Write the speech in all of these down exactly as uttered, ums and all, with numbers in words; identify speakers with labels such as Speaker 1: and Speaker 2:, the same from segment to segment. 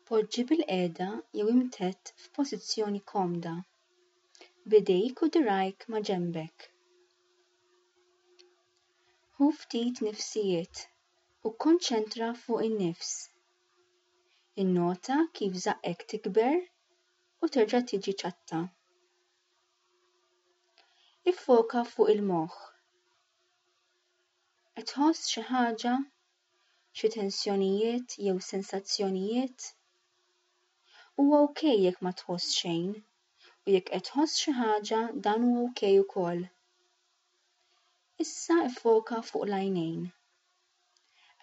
Speaker 1: Poġġi bilqiegħda jew imtedd f'pożizzjoni komda, b'idejk u dirgħajk ma' ġenbek. Ħu ftit nifsijiet u kkonċentra fuq in-nifs. Innota kif żaqqek tikber u terġa' tiġi ċatta. Iffoka fuq il-moħħ. Qed tħoss xi ħaġa, xi tensjonijiet jew sensazzjonijiet? Huwa okej jekk ma tħoss xejn, u jekk qed tħoss xi ħaġa dan huwa okej ukoll. Issa iffoka fuq l-għajnejn.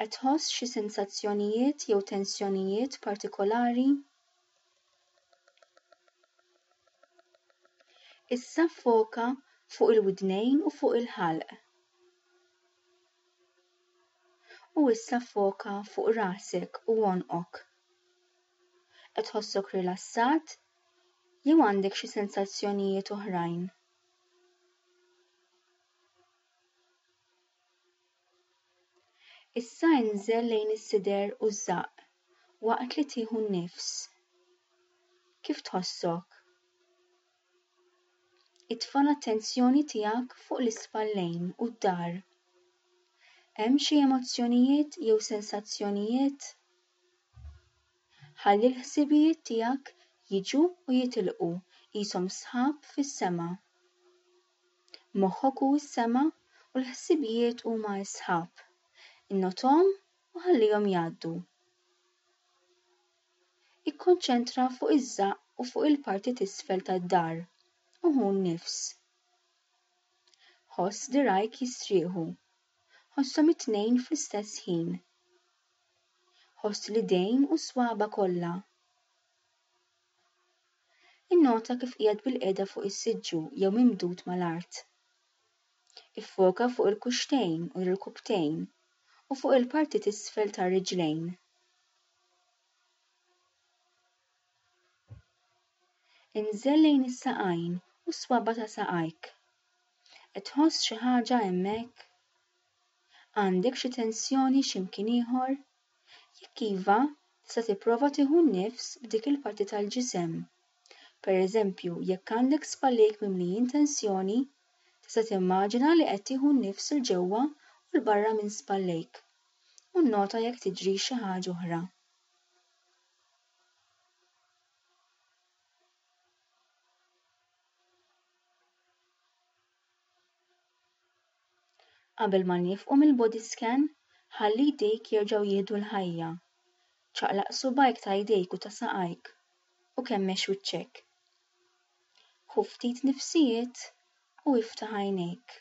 Speaker 1: Qed tħoss xi sensazzjonijiet jew tensjonijiet partikolari? Issa ffoka fuq il-widnejn u fuq il-ħalq. U issa ffoka fuq rasek u għonqok. Qed tħossok rilassat jew għandek xi sensazzjonijiet oħrajn? Issa inżel lejn is-sider u ż-żaqq waqt li tieħu n-nifs. Kif tħossok? Itfa' l-attenzjoni tiegħek fuq l-ispallejn u d-dahar. Hemm xi emozzjonijiet jew sensazzjonijiet? Ħalli l-ħsibijiet tiegħek jiġu u jitilqu qishom sħab fis-sema. Moħħok hu s-sema u l-ħsibijiet huma s-sħab. Innothom u ħallihom jgħaddu. Ikkonċentra fuq iż-żaqq u fuq il-parti t'isfel tad-dahar u ħu n-nifs. Ħoss dirgħajk jistrieħu. Ħosshom it-tnejn fl-istess ħin. Ħoss l-idejn u s-swaba kollha. Innota kif qiegħed bilqiegħda fuq is-siġġu jew mimdud mal-art. Iffoka fuq il-kuxxtejn u l-irkubtejn u fuq il-parti t'isfel tar-riġlejn. Inżel lejn is-saqajn u s-swaba ta' saqajk. Qed tħoss xi ħaġa hemmhekk? Għandek xi tensjoni x'imkien ieħor? Jekk iva, tista' tipprova tieħu n-nifs b'dik il-parti tal-ġisem. Pereżempju, jekk għandek spallejk mimlijin tensjoni, tista' timmaġina li qed tieħu n-nifs 'il ġewwa u 'l barra minn spallejk. U nnota jekk tiġri xi ħaġa oħra. Qabel ma niefqu mill-body scan, ħalli jdejk jerġgħu jieħdu l-ħajja. Ċaqlaq subgħajk ta' jdejk u ta' saqajk u kemmex wiċċek. Ħu ftit nifsijiet u iftaħ għajnejk.